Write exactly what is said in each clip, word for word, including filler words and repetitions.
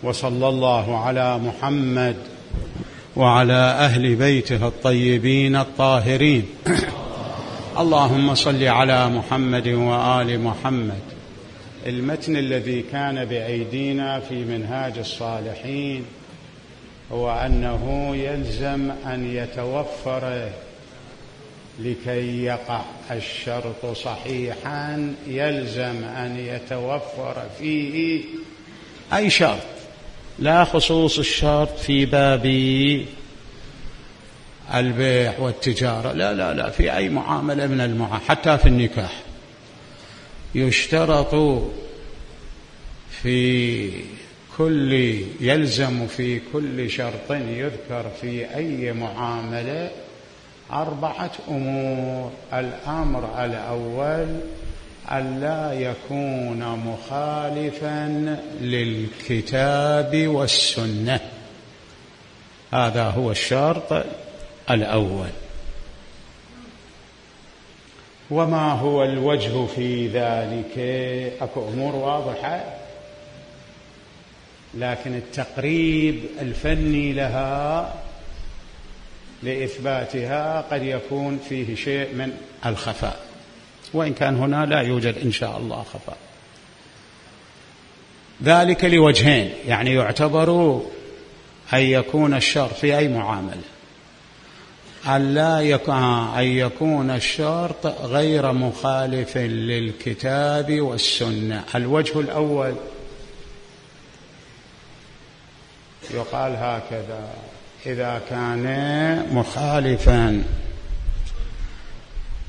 وصلى الله على محمد وعلى أهل بيته الطيبين الطاهرين. اللهم صل على محمد وآل محمد. المتن الذي كان بأيدينا في منهاج الصالحين هو أنه يلزم أن يتوفر لكي يقع الشرط صحيحا، يلزم أن يتوفر فيه أي شرط، لا خصوص الشرط في باب البيع والتجارة، لا لا لا في أي معاملة من المعاملات، حتى في النكاح يشترط في كل يلزم في كل شرط يذكر في أي معاملة أربعة أمور. الأمر الأول ألا يكون مخالفا للكتاب والسنة، هذا هو الشرط الأول. وما هو الوجه في ذلك؟ أكو أمور واضحة، لكن التقريب الفني لها لإثباتها قد يكون فيه شيء من الخفاء، وإن كان هنا لا يوجد إن شاء الله خفاء. ذلك لوجهين، يعني يعتبر أن يكون الشرط في أي معاملة ألا يكون أن يكون الشرط غير مخالف للكتاب والسنة. الوجه الأول يقال هكذا: إذا كان مخالفا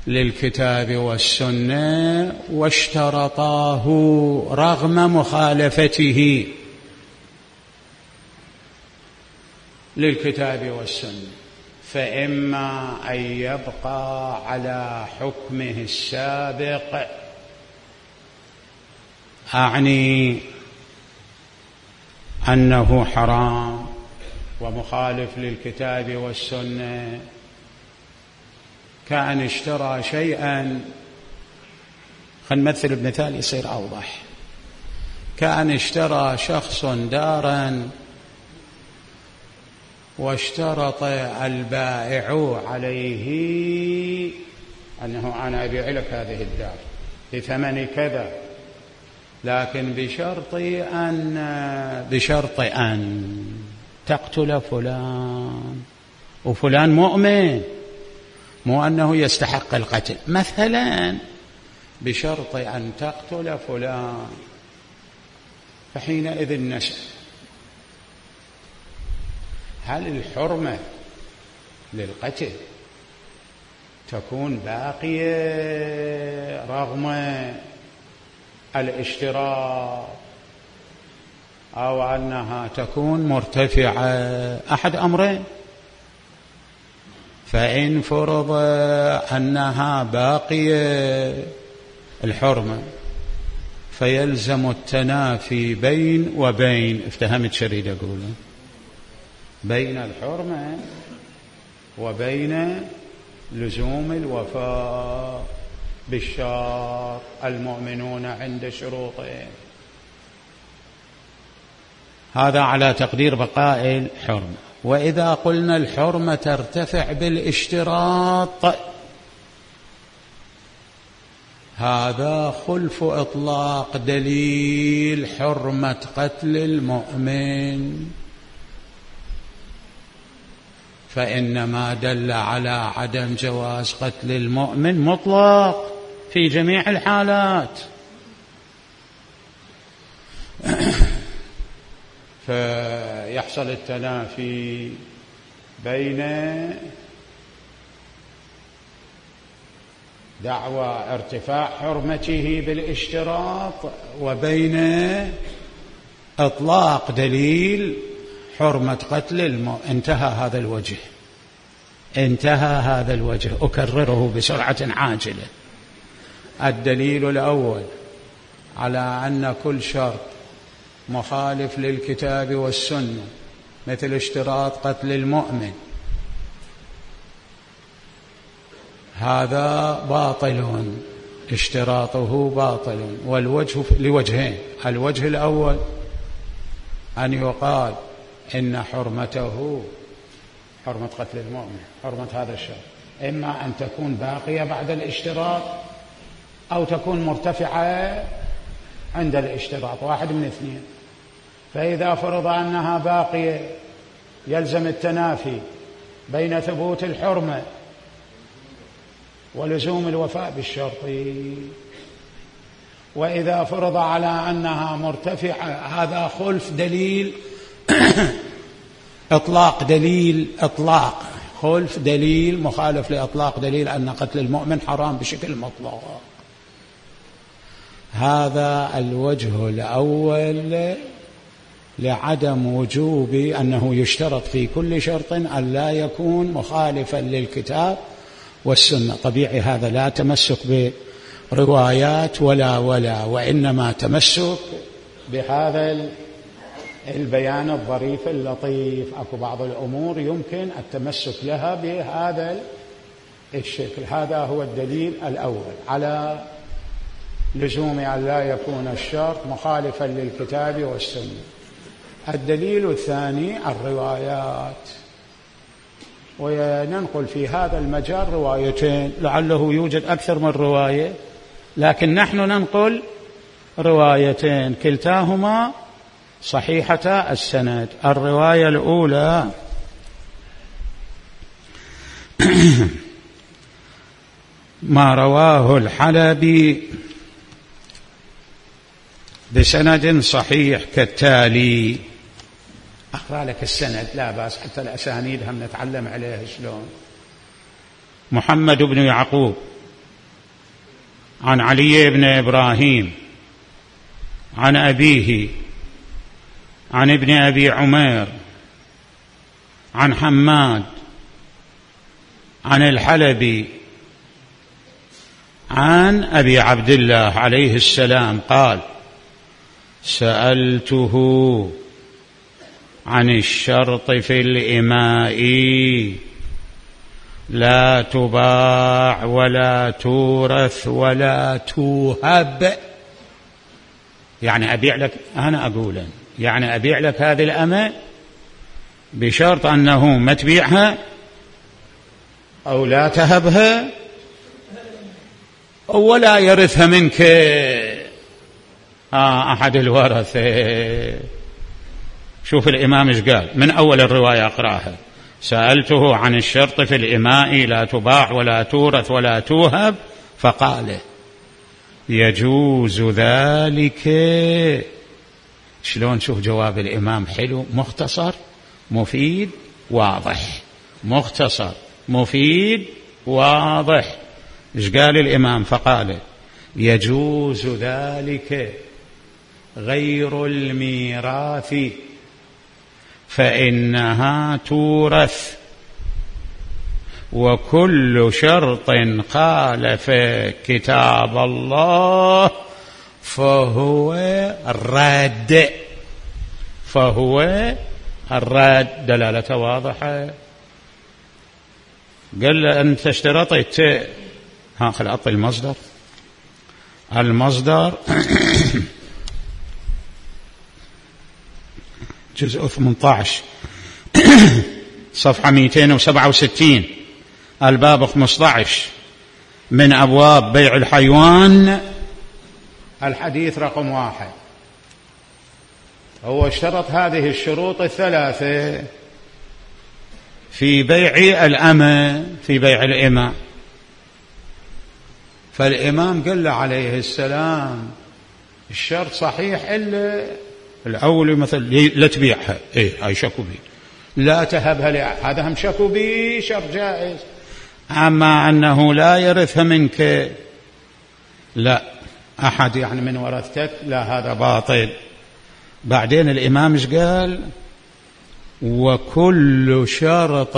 للكتاب والسنة واشترطاه رغم مخالفته للكتاب والسنة، فإما أن يبقى على حكمه السابق، أعني أنه حرام ومخالف للكتاب والسنة، كأن اشترى شيئا، خلينا نمثل بمثال يصير أوضح، كأن اشترى شخص دارا واشترط البائع عليه أنه أنا أبيع لك هذه الدار بثمن كذا، لكن بشرط أن بشرط أن تقتل فلان، وفلان مؤمن، مو أنه يستحق القتل، مثلا بشرط أن تقتل فلان. فحينئذ نسأل: هل الحرمة للقتل تكون باقية رغم الاشتراط، أو أنها تكون مرتفعة؟ أحد أمرين: فإن فرض أنها باقية الحرمة فيلزم التنافي بين وبين، افتهمت شريد أقول، بين الحرمة وبين لزوم الوفاء بالشرط، المؤمنون عند شروطهم. هذا على تقدير بقاء الحرمة. وإذا قلنا الحرمة ترتفع بالاشتراط، هذا خلف إطلاق دليل حرمة قتل المؤمن، فإنما دل على عدم جواز قتل المؤمن مطلق في جميع الحالات. فيحصل التنافي بين دعوى ارتفاع حرمته بالاشتراط وبين إطلاق دليل حرمة قتل المؤمن. انتهى هذا الوجه، انتهى هذا الوجه. أكرره بسرعة عاجلة. الدليل الأول على أن كل شرط مخالف للكتاب والسنة مثل اشتراط قتل المؤمن هذا باطل، اشتراطه باطل، والوجه لوجهين: الوجه الأول أن يقال إن حرمته حرمة قتل المؤمن حرمة هذا الشرط إما أن تكون باقية بعد الاشتراط أو تكون مرتفعة عند الاشتراط، واحد من اثنين. فإذا فرض أنها باقية يلزم التنافي بين ثبوت الحرمة ولزوم الوفاء بالشرط. وإذا فرض على أنها مرتفعة هذا خلف دليل إطلاق دليل إطلاق خلف دليل مخالف لإطلاق دليل أن قتل المؤمن حرام بشكل مطلق. هذا الوجه الأول لعدم وجوب أنه يشترط في كل شرط أن لا يكون مخالفا للكتاب والسنة. طبيعي هذا لا تمسك بروايات ولا ولا وإنما تمسك بهذا البيان الظريف اللطيف. أكو بعض الأمور يمكن التمسك لها بهذا الشكل. هذا هو الدليل الأول على لزوم أن لا يكون الشرط مخالفا للكتاب والسنة. الدليل الثاني الروايات، وننقل في هذا المجال روايتين، لعله يوجد أكثر من رواية لكن نحن ننقل روايتين كلتاهما صحيحة السند. الرواية الأولى ما رواه الحلبي بسند صحيح كالتالي. أقرأ لك السند لا بأس، حتى الأسانيد هم نتعلم عليها شلون. محمد بن يعقوب عن علي بن إبراهيم عن أبيه عن ابن أبي عمير عن حماد عن الحلبي عن أبي عبد الله عليه السلام قال: سألته عن الشرط في الإماء لا تباع ولا تورث ولا توهب. يعني أبيع لك، أنا أقول يعني أبيع لك هذه الأمة بشرط أنه ما تبيعها أو لا تهبها ولا يرثها منك آه أحد الورثة. شوف الإمام إيش قال من أول الرواية أقرأها: سألته عن الشرط في الإماء لا تباع ولا تورث ولا توهب فقال: يجوز ذلك. شلون؟ شوف جواب الإمام حلو، مختصر مفيد واضح، مختصر مفيد واضح. إيش قال الإمام؟ فقال: يجوز ذلك غير الميراث فإنها تورث، وكل شرط خالف كتاب الله فهو الرد، فهو الرد. دلالة واضحة. قال له: أنت اشترطت، ها خل أعطي المصدر. المصدر جزء ثمانية عشر صفحة مئتين وسبعة وستين الباب خمسة عشر من أبواب بيع الحيوان، الحديث رقم واحد. هو اشترط هذه الشروط الثلاثة في بيع الأمة، في بيع الإماء. فالإمام قال له عليه السلام: الشرط صحيح إلا الأول، مثل لا تبيعها، إيه هاي شكوا بي، لا تهبها لأحد، هذا هم شكوا بي شرط جائز. أما أنه لا يرثها منك، لا أحد يعني من ورثتك، لا هذا باطل. بعدين الإمام إيش قال؟ وكل شرط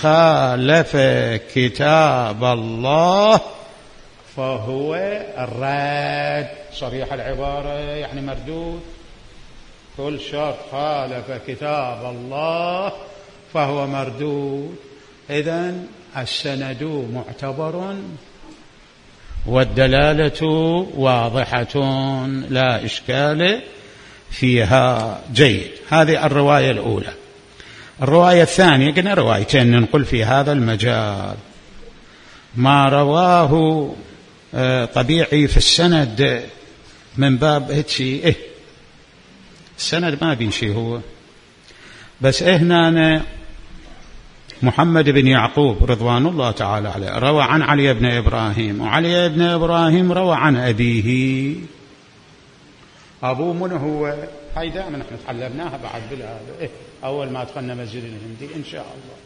خالف كتاب الله فهو الرد. صريح العبارة يعني مردود. كل شرط خالف كتاب الله فهو مردود. إذن السند معتبر والدلالة واضحة لا إشكال فيها جيد. هذه الرواية الأولى. الرواية الثانية قلنا روايتين ننقل في هذا المجال. ما رواه طبيعي في السند من باب هيك إيه السند ما بينشي هو بس إيه هنا محمد بن يعقوب رضوان الله تعالى عليه روى عن علي بن إبراهيم، وعلي بن إبراهيم روى عن أبيه. أبوه من هو؟ هاي دائما نحن تعلمناها بعد بالهذا إيه أول ما دخلنا مسجد الهندي إن شاء الله.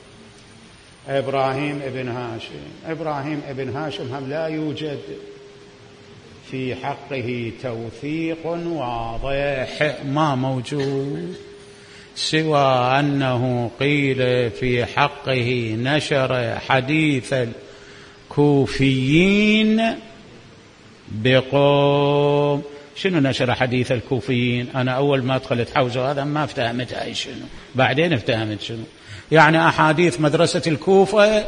إبراهيم ابن هاشم. إبراهيم ابن هاشم هم لا يوجد في حقه توثيق واضح، ما موجود، سوى أنه قيل في حقه نشر حديث الكوفيين بقوم. شنو نشر حديث الكوفيين؟ أنا أول ما دخلت حوزة هذا ما افتهمت هاي شنو، بعدين افتهمت شنو يعني أحاديث مدرسة الكوفة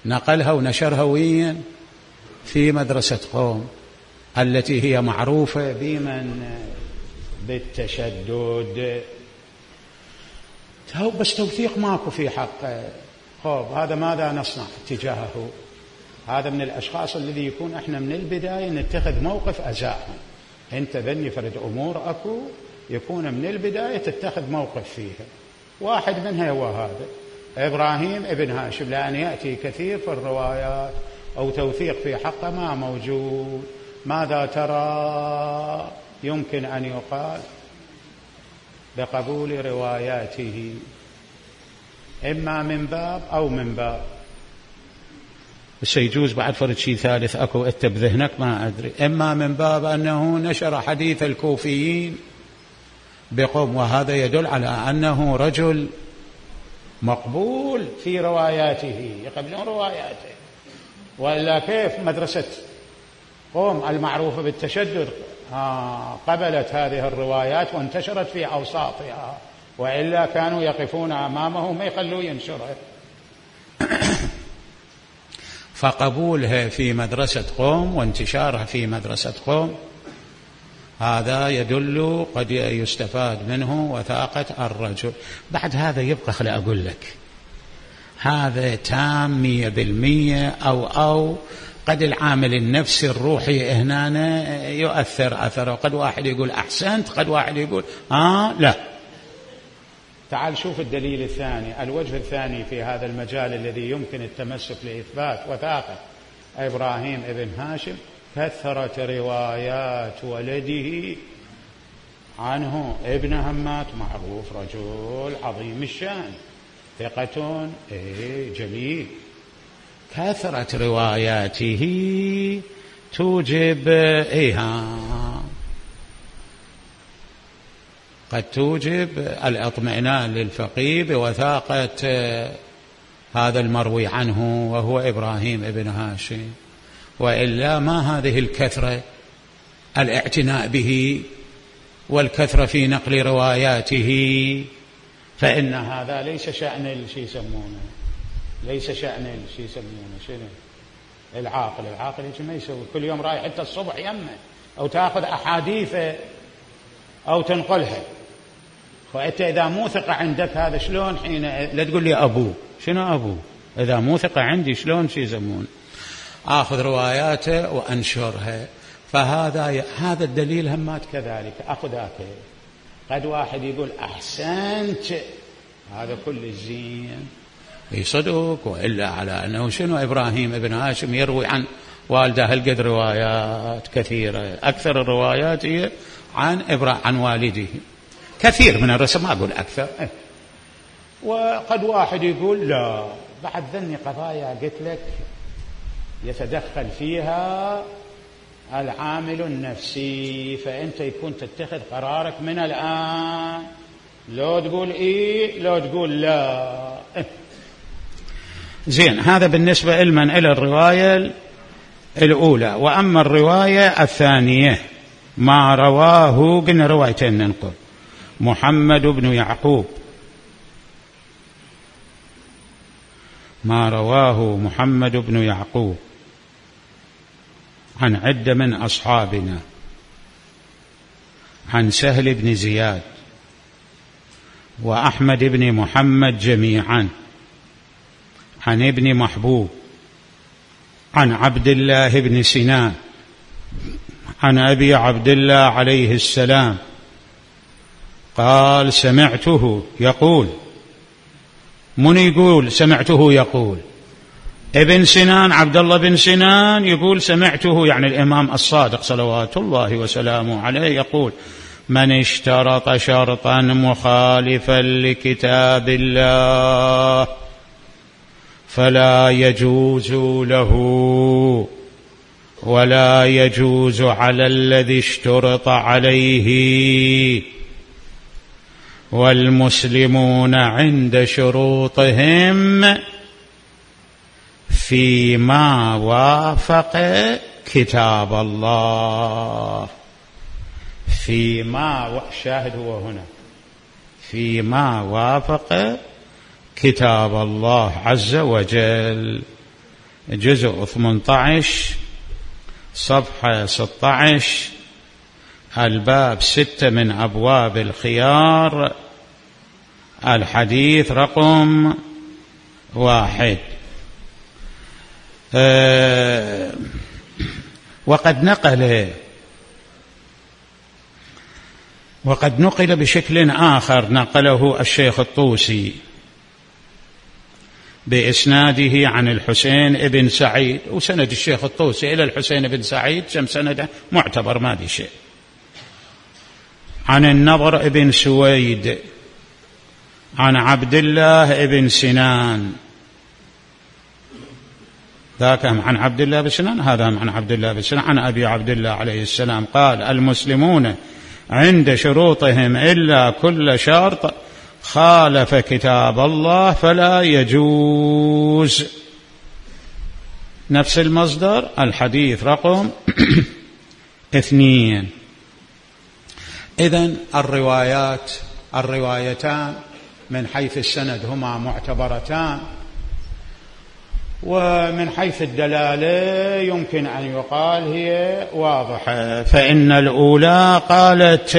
نقلها ونشرها وين؟ في مدرسة قوم التي هي معروفة بمن بالتشدد. بس توثيق ماكو في حقه. خب هذا ماذا نصنع تجاهه؟ هذا من الأشخاص الذي يكون احنا من البداية نتخذ موقف أزاحهم. انت ذني فرد أمور أكو يكون من البداية تتخذ موقف فيها. واحد منها هو هذا إبراهيم ابن هاشم، لأن يأتي كثير في الروايات أو توثيق في حقه ما موجود. ماذا ترى يمكن أن يقال بقبول رواياته؟ إما من باب أو من باب، بس يجوز بعد فرد شيء ثالث أكو أنت بذهنك ما أدري. إما من باب أنه نشر حديث الكوفيين بقوم، وهذا يدل على أنه رجل مقبول في رواياته، يقبلون رواياته. وإلا كيف مدرسة قوم المعروفة بالتشدد آه قبلت هذه الروايات وانتشرت في أوساطها، وإلا كانوا يقفون أمامه ما يخلوا ينشره. فقبولها في مدرسة قوم وانتشارها في مدرسة قوم هذا يدل قد يستفاد منه وثاقة الرجل. بعد هذا يبقى خلي أقول لك هذا تام مية بالمية أو أو قد العامل النفسي الروحي هنا يؤثر أثره. قد واحد يقول أحسنت، قد واحد يقول آه لا. تعال شوف الدليل الثاني، الوجه الثاني في هذا المجال الذي يمكن التمسك لإثبات وثاقة إبراهيم ابن هاشم. كثرة روايات ولده عنه. ابن همات معروف رجل عظيم الشأن ثقة إيه جميل. كثرة رواياته توجب إيها قد توجب الاطمئنان للفقيه بوثاقة هذا المروي عنه وهو إبراهيم ابن هاشم. وإلا ما هذه الكثرة الاعتناء به والكثرة في نقل رواياته، فإن هذا ليس شأن الشي يسمونه ليس شأن الشي يسمونه شنو العاقل. العاقل ما يسوي كل يوم رايح حتى الصبح يمه أو تأخذ أحاديث أو تنقلها. فأنت إذا مو ثقة عندك هذا شلون حين لا تقول لي أبوه شنو أبوه إذا مو ثقة عندي شلون شي يسمون آخذ رواياته وأنشرها. فهذا هذا الدليل همات كذلك أخذ ذاك. قد واحد يقول أحسنت هذا كل الزين يصدق، وإلا على أنه شنو إبراهيم ابن هاشم يروي عن والده هالقد روايات كثيرة. أكثر الروايات هي عن إبراهيم عن والده، كثير من الرسم ما أقول أكثر. وقد واحد يقول لا بعد ذني قضايا قلت لك يتدخل فيها العامل النفسي، فأنت يكون تتخذ قرارك من الآن، لو تقول إيه لو تقول لا. زين هذا بالنسبة لمن إلى الرواية الأولى. وأما الرواية الثانية ما رواه قلنا روايتين ننقل. محمد بن يعقوب ما رواه محمد بن يعقوب عن عدة من أصحابنا عن سهل بن زياد وأحمد بن محمد جميعا عن ابن محبوب عن عبد الله بن سنان عن أبي عبد الله عليه السلام قال سمعته يقول. من يقول سمعته يقول؟ ابن سنان، عبد الله بن سنان يقول سمعته، يعني الإمام الصادق صلوات الله وسلامه عليه يقول: من اشترط شرطا مخالفا لكتاب الله فلا يجوز له ولا يجوز على الذي اشترط عليه، والمسلمون عند شروطهم فيما وافق كتاب الله. فيما الشاهد هو هنا فيما وافق كتاب الله عز وجل. جزء ثمانية عشر صفحة ستة عشر، الباب ستة من أبواب الخيار، الحديث رقم واحد. أه وقد نقل وقد نقل بشكل آخر، نقله الشيخ الطوسي بإسناده عن الحسين بن سعيد، وسند الشيخ الطوسي إلى الحسين بن سعيد كم سنده معتبر ما دي شيء، عن النضر بن سويد عن عبد الله بن سنان، ذاك عن عبد الله بن سنان، هذا عن عبد الله بن سنان عن أبي عبد الله عليه السلام قال: المسلمون عند شروطهم إلا كل شرط خالف كتاب الله فلا يجوز. نفس المصدر، الحديث رقم اثنين. إذن الروايات الروايتان من حيث السند هما معتبرتان، ومن حيث الدلالة يمكن أن يقال هي واضحة. فإن الأولى قالت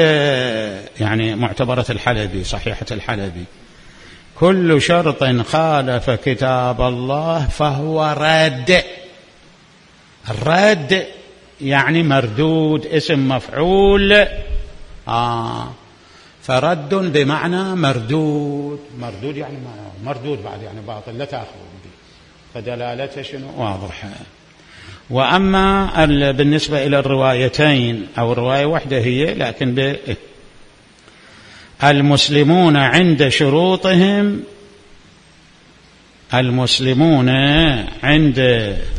يعني معتبرة الحلبي، صحيحة الحلبي: كل شرط خالف كتاب الله فهو رد. الرد يعني مردود، اسم مفعول. آه فرد بمعنى مردود. مردود يعني مردود بعد يعني باطل، لا تأخذ به، فدلالته شنو واضحة. وأما بالنسبة إلى الروايتين أو الرواية واحدة هي، لكن ب المسلمون عند شروطهم، المسلمون عند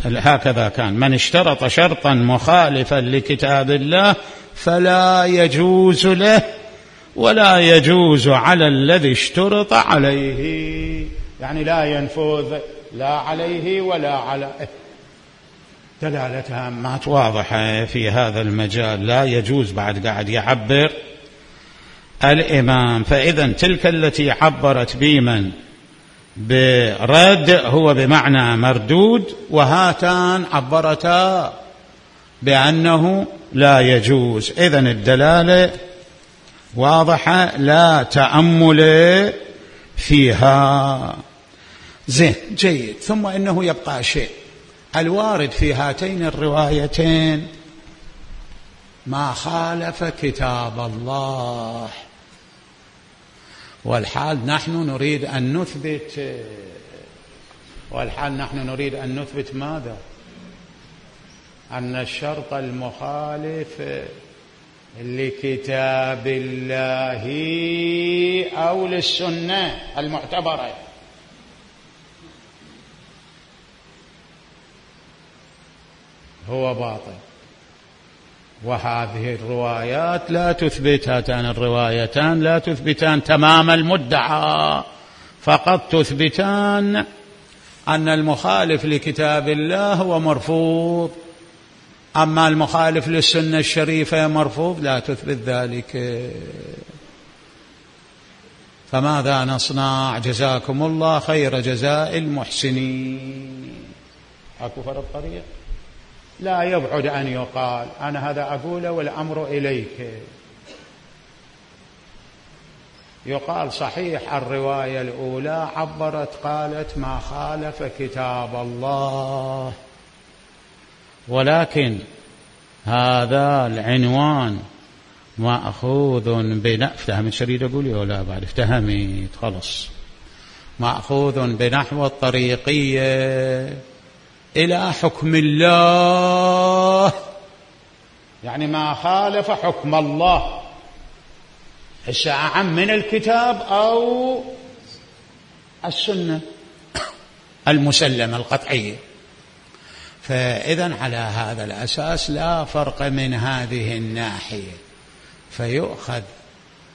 هكذا كان: من اشترط شرطا مخالفا لكتاب الله فلا يجوز له ولا يجوز على الذي اشترط عليه، يعني لا ينفذ لا عليه ولا على. دلالتها ما واضحة في هذا المجال، لا يجوز. بعد قاعد يعبر الإمام. فإذا تلك التي عبرت بمن برد هو بمعنى مردود، وهاتان عبرتا بأنه لا يجوز. إذن الدلالة واضحة، لا تأمل فيها. زين، جيد. ثم إنه يبقى شيء الوارد في هاتين الروايتين ما خالف كتاب الله، والحال نحن نريد أن نثبت والحال نحن نريد أن نثبت ماذا؟ أن الشرط المخالف لكتاب الله أو للسنة المعتبرة هو باطل. وهذه الروايات لا تثبت، هاتان الروايتان لا تثبتان تمام المدعى، فقط تثبتان أن المخالف لكتاب الله هو مرفوض، أما المخالف للسنة الشريفة مرفوض، لا تثبت ذلك. فماذا نصنع؟ جزاكم الله خير جزاء المحسنين. أكو فرق طريق؟ لا يبعد أن يقال، أنا هذا أقوله والأمر إليك. يقال صحيح الرواية الأولى عبرت قالت ما خالف كتاب الله، ولكن هذا العنوان مأخوذ بن افتهمت شريد أقولي ولا بعد افتهمت خلص مأخوذ بنحو الطريقية إلى حكم الله، يعني ما خالف حكم الله هسه أعم من الكتاب أو السنة المسلمة القطعية. فإذن على هذا الأساس لا فرق من هذه الناحية، فيؤخذ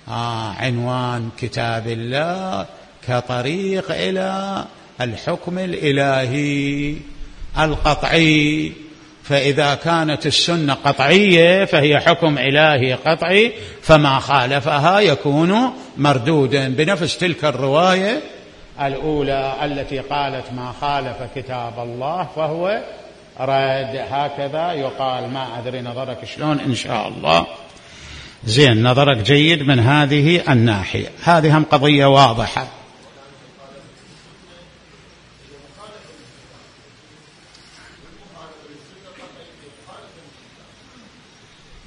آه عنوان كتاب الله كطريق إلى الحكم الإلهي القطعي. فإذا كانت السنة قطعية فهي حكم إلهي قطعي، فما خالفها يكون مردودا بنفس تلك الرواية الأولى التي قالت ما خالف كتاب الله فهو رد. هكذا يقال. ما أدري نظرك شلون إن شاء الله. زين، نظرك جيد من هذه الناحية. هذه هم قضية واضحة.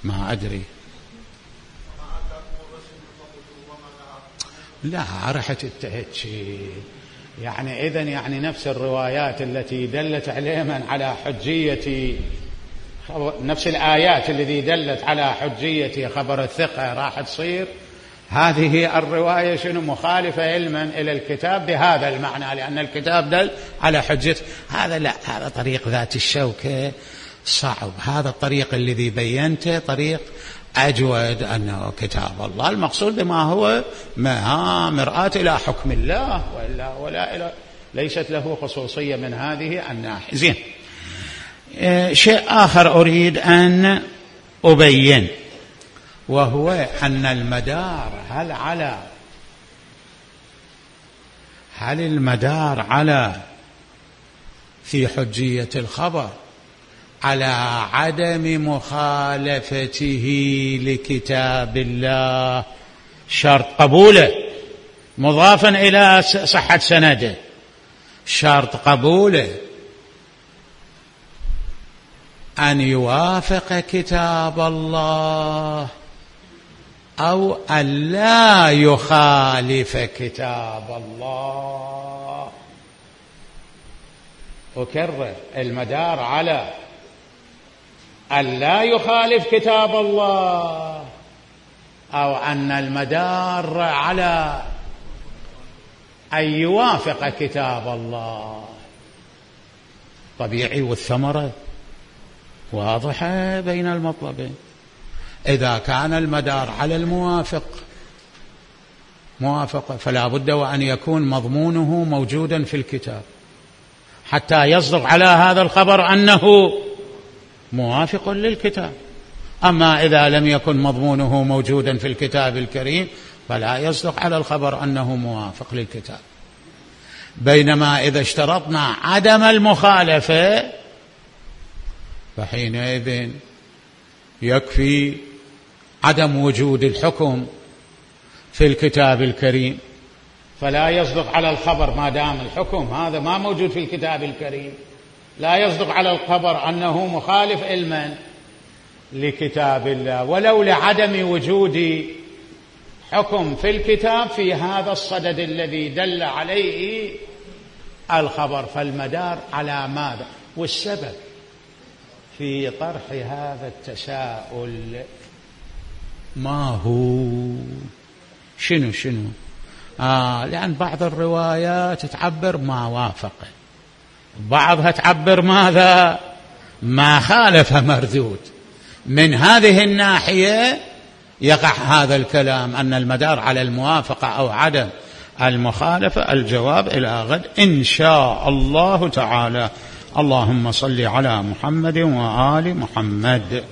ما أدري، لا رحت اتهت شيء يعني إذن يعني نفس الروايات التي دلت عليها على حجية، نفس الآيات التي دلت على حجية خبر الثقة راح تصير هذه الرواية شنو مخالفة علما إلى الكتاب بهذا المعنى، لأن الكتاب دل على حجة. هذا لا، هذا طريق ذات الشوكة صعب. هذا الطريق الذي بينته طريق أجود، أنه كتاب الله المقصود بما هو ما مرآة إلى حكم الله، وإلا ولا إلى ليست له خصوصية من هذه الناحية. زين، شيء آخر أريد أن أبين، وهو أن المدار هل على هل المدار على في حجية الخبر على عدم مخالفته لكتاب الله شرط قبوله مضافا إلى صحة سنده، شرط قبوله أن يوافق كتاب الله أو أن لا يخالف كتاب الله. أكرر، المدار على أن لا يخالف كتاب الله أو أن المدار على أن يوافق كتاب الله. طبيعي، والثمرة واضحة بين المطلبين. إذا كان المدار على الموافق موافقة فلا بد وأن يكون مضمونه موجودا في الكتاب حتى يصدق على هذا الخبر أنه موافق للكتاب. أما إذا لم يكن مضمونه موجودا في الكتاب الكريم فلا يصدق على الخبر أنه موافق للكتاب. بينما إذا اشترطنا عدم المخالفة فحينئذ يكفي عدم وجود الحكم في الكتاب الكريم، فلا يصدق على الخبر ما دام الحكم هذا ما موجود في الكتاب الكريم، لا يصدق على الخبر أنه مخالف علما لكتاب الله، ولو لعدم وجود حكم في الكتاب في هذا الصدد الذي دل عليه الخبر. فالمدار على ماذا؟ والسبب في طرح هذا التساؤل ما هو؟ شنو شنو آه لأن بعض الروايات تعبر ما وافق، بعضها تعبر ماذا؟ ما خالف مردود. من هذه الناحية يقع هذا الكلام أن المدار على الموافقة أو عدم المخالفة. الجواب إلى غد إن شاء الله تعالى. اللهم صل على محمد وآل محمد.